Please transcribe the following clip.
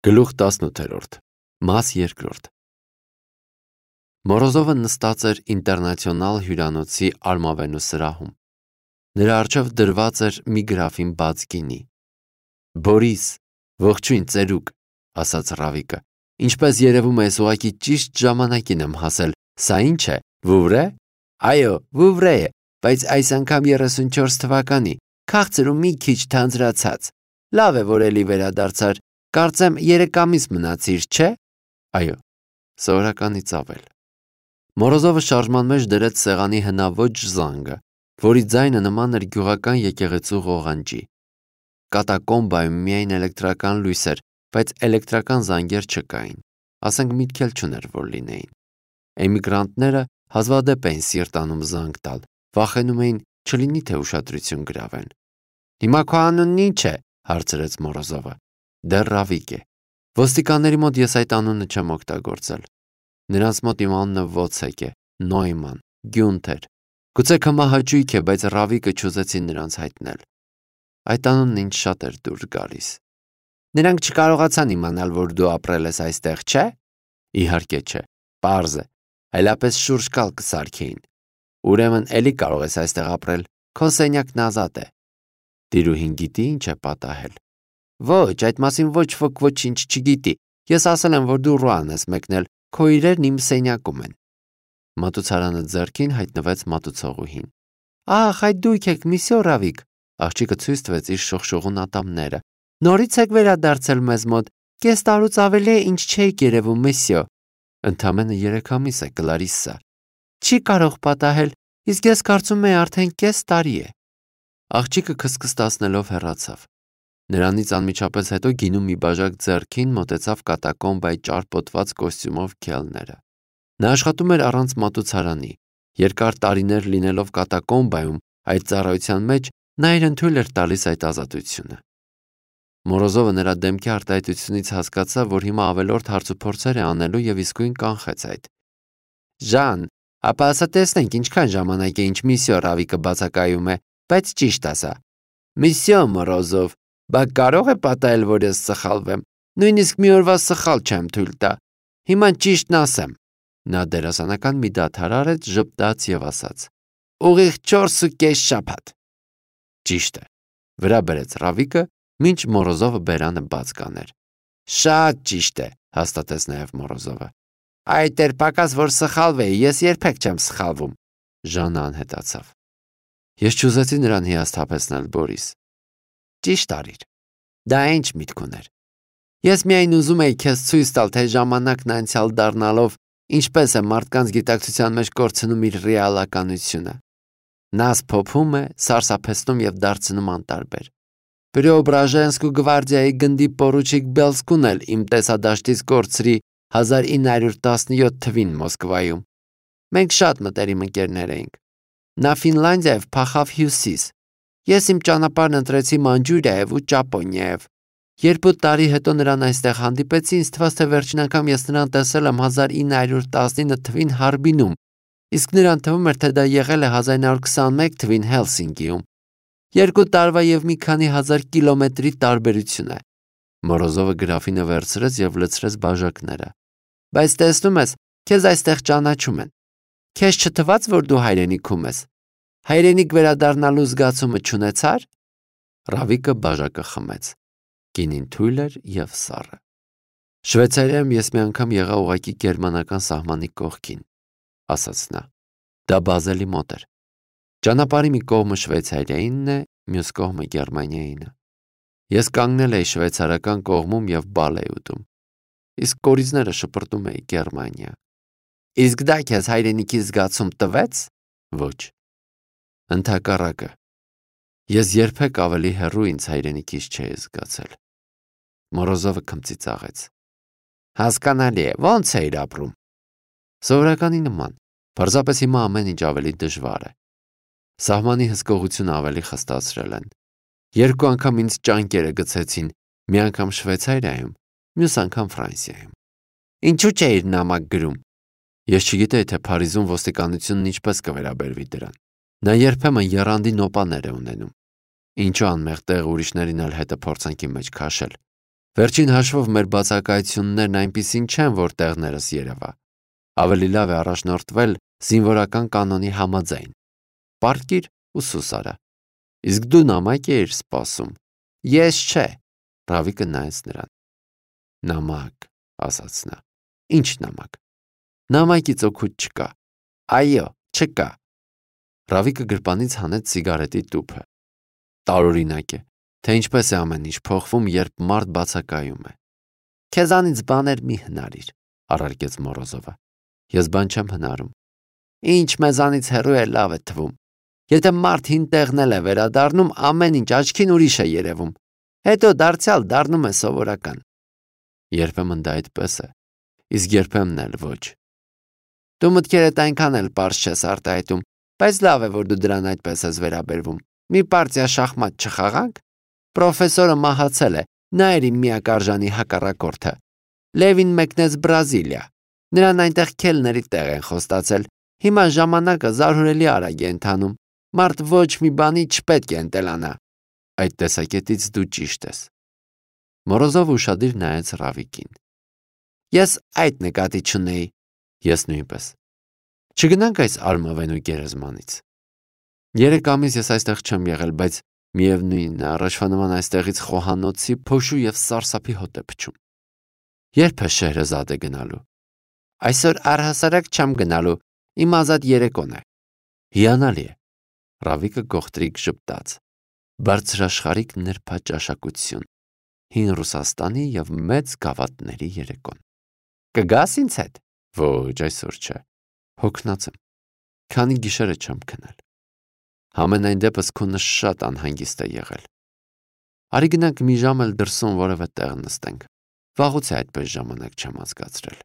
Գլուխ 18 Մաս 2 Մորոզովը նստած էր ինտերնացիոնալ հյուրանոցի արմավենու սրահում։ Նրա առջև դրված էր մի գրաֆին բաց գինի։ Բորիս, ողջույն ծերուկ, ասաց Ռավիկը։ Ինչպես երևում է, ուղղակի ճիշտ ժամանակին եմ հասել։ Սա ինչ է, Վուվրե։ Այո, Վուվրե է, բայց այս անգամ 34 թվականի, քաղցր ու մի քիչ թանձրացած։ Լավ է, որ էլի վերադարձար։ Կարծեմ 3 ամիս մնացիր, չէ։ Այո, սովորականից ավել։ Մորոզովը շարժման մեջ դրեց սեղանի հնաոճ զանգը, որի ձայնը նման էր գյուղական եկեղեցու ղողանջի։ Կատակոմբայում միայն էլեկտրական լույս էր, բայց էլեկտրական զանգեր չկային։ Ասենք միտք էլ չուներ, որ լինեին։ Էմիգրանտները հազվադեպ էին սիրտ անում զանգ տալ, վախենում էին չլինի թե ուշադրություն գրավեն։ Հիմա քո անունն ինչ է, հարցրեց Մորոզովը։ Դեռ Ռավիկ է։ Ոստիկանների մոտ ես այդ անունը չեմ օգտագործել։ Նրանց մոտ իմ անունը Վոցեկ է, Նոյման, Գյունթեր։ Գուցե կմահաճույք է, բայց Ռավիկը չուզեցին նրանց հայտնել։ Այդ անունն ինձ շատ էր դուր գալիս։ Նրանք չկարողացան իմանալ, որ դու ապրել ես այստեղ, չէ։ Իհարկե չէ, պարզ է, այլապես շուրջ կալ կսարքեին։ Ուրեմն էլի կարող ես այստեղ ապրել, քո սենյակն ազատ է։ Տիրուհին գիտի ինչ է պատահել։ Ոչ, այդ մասին ոչ ոք ոչինչ չգիտի։ Ես ասել եմ, որ դու Ռուան ես մեկնել, քո իրերն իմ սենյակում են։ Մատուցարանը ձեռքին հայտնվեց մատուցողուհին։ Ահ, այդ դուք եք, միսյո Ռավիկ։ Աղջիկը ցույց տվեց իր շողշողուն ատամները։ Նորից եք վերադարձել մեզ մոտ։ Կես տարուց ավելի է, ինչ չէիք երևում, միսյո։ Ընդամենը 3 ամիս է, Կլարիսսա։ Չի կարող պատահել, իսկ ես կարծում եմ արդեն կես տարի է։ Աղջիկը քսքստացնելով հեռացավ։ Նրանից անմիջապես հետո գինու մի բաժակ ձեռքին մոտեցավ կատակոմբայի ճարպոտված կոստյումով քելները։ Նա աշխատում էր առանց մատուցարանի։ Երկար տարիներ լինելով կատակոմբայում, այդ ծառայության մեջ նա իրեն թույլ էր տալիս այդ ազատությունը։ Մորոզովը նրա դեմքի արտահայտությունից հասկացավ, որ հիմա ավելորդ հարցուփորձեր է անելու եւ իսկույն կանխեց այդ։ Ժան, ապա ասա տեսնենք ինչքան ժամանակ է ինչ միսիո Ռավիկը բացակայում է, բայց ճիշտ ասա։ Միսիո Մորոզով, բա կարող է պատահել, որ ես սխալվեմ։ Նույնիսկ մի օրվա սխալ չեմ թույլ տա։ Հիմա ճիշտն ասեմ։ Նա դերասանական մի դադար արեց, ժպտաց եւ ասաց. Ուղիղ 4.5 շաբաթ։ Ճիշտ է։ Վրա բերեց Ռավիկը, մինչ Մորոզովը բերանը բաց կաներ։ Շատ ճիշտ է, հաստատեց նաեւ Մորոզովը։ Այդ էր պակաս, որ սխալվեի, ես երբեք չեմ սխալվում։ Ժանը անհետացավ։ Ես չուզեցի նրան հիասթափեցնել, Բորիս։ Ճիշտ արիր։ Դա ինչ միտք ուներ։ Ես միայն ուզում էի քեզ ցույց տալ, թե ժամանակն անցյալ դառնալով ինչպես է մարդկանց գիտակցության մեջ կորցնում իր ռեալականությունը։ Նա սփոփում է, սարսափեցնում եւ դարձնում անտարբեր։ Պրեոբրաժենսկու գվարդիայի գնդի պորուչիկ Բելսկուն էլ իմ տեսադաշտից կորցրի 1917 թվին Մոսկվայում։ Մենք շատ մտերիմ ընկերներ էինք։ Նա Ֆինլանդիայով փախավ հյուսիս։ Ես իմ ճանապարհն ընտրեցի Մանջուրիայով ու Ճապոնիայով։ 2 տարի հետո նրան այստեղ հանդիպեցի, ինձ թվաց, թե վերջին անգամ ես նրան տեսել եմ 1919 թվին Հարբինում, իսկ նրան թվում էր, թե դա եղել է 1921 թվին Հելսինկիում։ 2 տարվա եւ մի քանի հազար կիլոմետրի տարբերություն է։ Մորոզովը գրաֆինը վերցրեց եւ լցրեց բաժակները։ Բայց տեսնում ես, քեզ այստեղ ճանաչում են։ Քեզ չթվաց, որ դու հայրենիքում ես։ Հայրենիք վերադառնալու զգացումը չունեցար։ Ռավիկը բաժակը խմեց։ Գինին թույլ էր եւ սառը։ Շվեյցարիայում ես մի անգամ եղա ուղակի գերմանական սահմանի կողքին, ասաց նա։ Դա Բազելի մոտ էր։ Ճանապարհի մի կողմը Շվեյցարիայինն է, մյուս կողմը Գերմանիայինը։ Ես կանգնել էի շվեյցարական կողմում եւ բալ էի ուտում։ Իսկ կորիզները շպրտում էի Գերմանիա։ Իսկ դա քեզ հայրենիքի զգացում տվեց։ Ոչ։ Ընդհակառակը։ Ես երբեք ավելի հեռու ինձ հայրենիքից չէի զգացել։ Մորոզովը քմծիծաղեց։ Հասկանալի է, ո՞նց էիր ապրում։ Սովորականի նման, պարզապես հիմա ամեն ինչ ավելի դժվար է։ Սահմանի հսկողությունը ավելի խստացրել են։ 2 անգամ ինձ ճանկերը գցեցին, մի անգամ Շվեյցարիայում, մյուս անգամ Ֆրանսիայում։ Ինչու՞ չէիր նամակ գրում։ Ես չգիտեի, թե Փարիզում ոստիկանությունն ինչպես կվերաբերվի դրան։ Նա երբեմն եռանդի նոպաներ է ունենում։ Ինչու անմեղ տեղ ուրիշներին էլ հետը փորձանքի մեջ քաշել։ Վերջին հաշվով մեր բացակայություններն այնպիսին չեն, որ տեղներս երևա։ Ավելի լավ է առաջնորդվել զինվորական կանոնի համաձայն։ Պառկիր ու սուս արա։ Իսկ դու նամակ էիր սպասում։ Ես չէ։ Ռավիկը նայեց նրան։ Նամակ, ասաց նա։ Ինչ նամակ։ Նամակից օգուտ չկա։ Այո, չկա։ Ռավիկը գրպանից հանեց սիգարետի տուփը։ Տարօրինակ է, թե ինչպես է ամեն ինչ փոխվում, երբ մարդ բացակայում է։ Քեզանից բաներ մի հնարիր, առարկեց Մորոզովը։ Ես բան չեմ հնարում։ Ինչ մեզանից հեռու է, լավ է թվում։ Եթե մարդ հին տեղնել է վերադառնում, ամեն ինչ աչքին ուրիշ է երևում։ Հետո դարձյալ դառնում է սովորական։ Երբեմն դա այդպես է, իսկ երբեմն էլ ոչ։ Դու մտքերդ այնքան էլ պարզ չես արտահայտում, բայց լավ է, որ դու դրան այդպես ես վերաբերվում։ Մի պարտիա շախմատ չխաղանք։ Պրոֆեսորը մահացել է, նա էր իմ միակ արժանի հակառակորդը։ Լևին մեկնեց Բրազիլիա։ Նրան այնտեղ քելների տեղ են խոստացել։ Հիմա ժամանակը զարհուրելի արագ է ընթանում։ Մարդ ոչ մի բանի չպետք է ընտելանա։ Այդ տեսակետից դու ճիշտ ես։ Մորոզովը ուշադիր նայեց Ռավիկին։ Ես այդ նկատի չունեի։ Ես նույնպես։ Չգնանք այս արմավենու գերեզմանից։ 3 ամիս ես այստեղ չեմ եղել, բայց միևնույնն է, առաջվա նման այստեղից խոհանոցի, փոշու եւ սարսափի հոտ է փչում։ Երբ է Շեհրեզադե գնալու։ Այսօր առհասարակ չեմ գնալու, իմ ազատ երեկոն է։ Հիանալի է։ Ռավիկը գողտրիկ ժպտաց։ Բարձրաշխարհիկ նրբաճաշակություն։ Հին Ռուսաստանի եւ մեծ գավաթների երեկոն։ Կգաս ինձ հետ։ Ոչ, այսօր չէ։ Հոգնած եմ։ Քանի գիշերը չեմ քնել։ Համենայն դեպս քունը շատ անհանգիստ է եղել։ Արի գնանք մի ժամ էլ դրսում որևէ տեղ նստենք։ Վաղուց է այդպես ժամանակ չեմ անցկացրել։